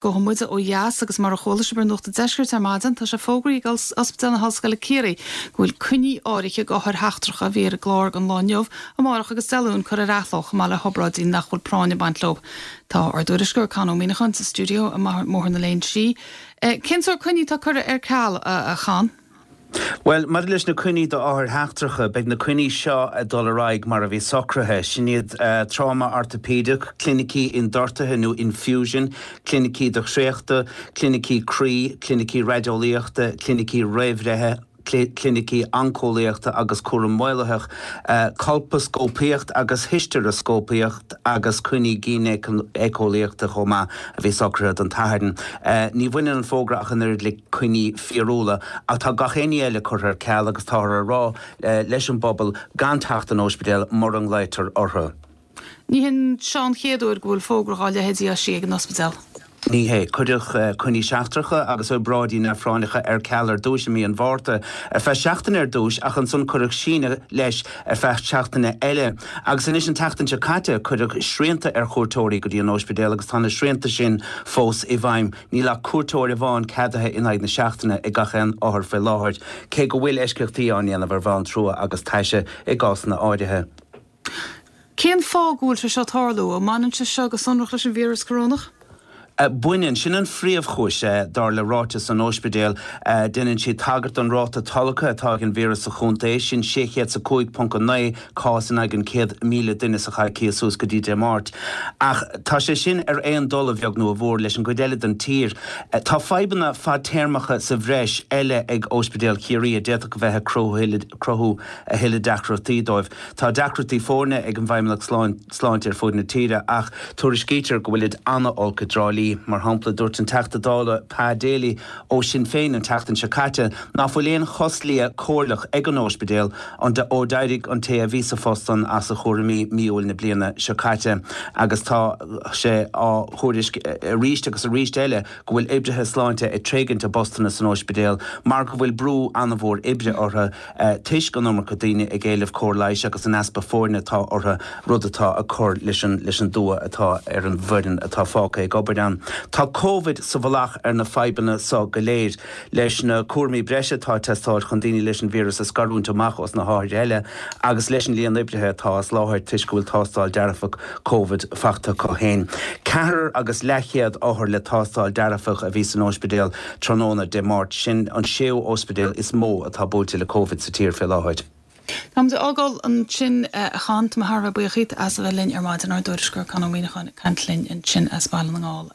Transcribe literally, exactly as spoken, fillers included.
Gabhfaidh muid ó dheas agus mar a chuala sibh ar Nuacht an Deiscirt ar maidin, tá sé fógraithe ag Ospidéal na hOllscoile Ciarraí go bhfuil coinní áirithe d'othair sheachtracha a bhí ar an gclár don lá inniu, amárach agus Dé Luain curtha ar athló chomh maith le hobráidí nach bhfuil práinn ag baint leo. Tá ár dtuairisceoir Con Ó Muíneacháin sa stiúideo i mBóthar na Léinsí. Cén sórt coinní atá curtha ar ceal a Chon? Well, maidir leis na coinní d'othair sheachtracha, beidh na coinní seo ag dul ar aghaidh mar a bhí socraithe. Sin iad tráma ortaipéideach, clinicí ionduchtaithe nó infusion, clinicí do chréachta, clinicí croí, clinicí raideolaíochta, clinicí réamhbhreithe, clinicí oncólaíochta agus cúram maolaitheach, colpascópaíocht agus histearascópaíocht agus coinní gínéiceolaíochta chomh maith a bhí socraithe don tSatharn. Ní bhaineann an fógra ach an oiread le coinní fíorúla ach tá gach aon ní eile curtha ar ceal agus táthar ag rá leis an bpobal gan teacht don ospidéal mura nglaoitear orthu. Ní hin seo an chéad uair go bhfuil fógra dá leithéid eisithe ag an ospidéal. Ní hé. Cuireadh coinní seachtracha agus obráidí neamhphráinneacha ar ceal ar dtús i mí an Mhárta ar feadh seachtaine ar dtús ach ansan cuireadh síneadh leis ar feadh seachtaine eile. Agus anois an tseachtain seo caite cuireadh srianta ar chuairteoirí go dtí an ospidéal agus tá na srianta sin fós i bhfeidhm. Níl ach cuairteoir amháin ceadaithe in aghaidh na seachtaine ag gach aon othar faoi láthair, cé go bhfuil eisceachtaí á ndéanamh ar bhonn trua agus taise i gcásanna áirithe. Cén fáth go bhfuil sé seo ag tarlú? An mbaineann sé seo go sonrach leis an víreas corónach? Baineann. Sin an phríomhchúis, dar le ráiteas an ospidéil. Déanann siad tagairt don ráta tolgtha atá ag an víreas sa chontae, sin sé chéad is a cúig ponc a naoi cás in aghaidh an chéad míle duine sa choicíos suas go dtí Dé Máirt. Ach tá sé sin ar aon dul, a bheag nó a mhór, leis an gcuid eile den tír. Tá fadhbanna fadtéarmacha sa bhreis eile ag Ospidéal Chiarraí a d'fhéadfadh a bheith ag cruthú a thuilleadh deacrachtaí dóibh. Tá deacrachtaí foirne ag an bhFeidhmeannacht Sláinte ar fud na tíre ach tuairiscítear go bhfuilid an-olc i dTrá Lí. Mar shampla, dúirt an Teachta Dála Pa Daly ó Sinn Féin an tseachtain seo caite ná fuil aon chos liath comhairleach ag an óispidéal ó d'éirigh an té a bhí sa phost san as a chúraimí mí Iúil na bliana seo caite agus tá sé á thuairisc arís agus arís eile go bhfuil oibrithe sláinte ag tréigint a bpostanna san óispidéal mar go bhfuil brú an-mhór oibre orthu toisc an iomarca daoine ag éileamh cóir leighis agus an easpa foirne atá orthu, rud atá ag cur leis an leis an dua atá ar an bhfoireann atá fágtha ag obair ann. Tá Covid sa mhullach ar na fadhbanna so go léir. Leis na cúraimí breise atá ag teastáil chun daoine leis an víreas a scarúint amach os na hothair eile agus leis an líon oibrithe atá as láthair toisc go bhfuil tástáil dearfach Covid faighte acu féin. Ceathrar agus leathchéad othar le tástáil dearfach a bhí san óispidéal tráthnóna Dé Máirt. Sin an séú óispidéal is mó atá buailte le Covid sa tír fé láthair. Táimid ag fágáil ansin a Chon, tá mé thar a bheith buíoch díot as a bheith linn ar maidin, ár dtuairisceoir Con Ó Muíneacháin ag caint linn ansin as Baile na nGall.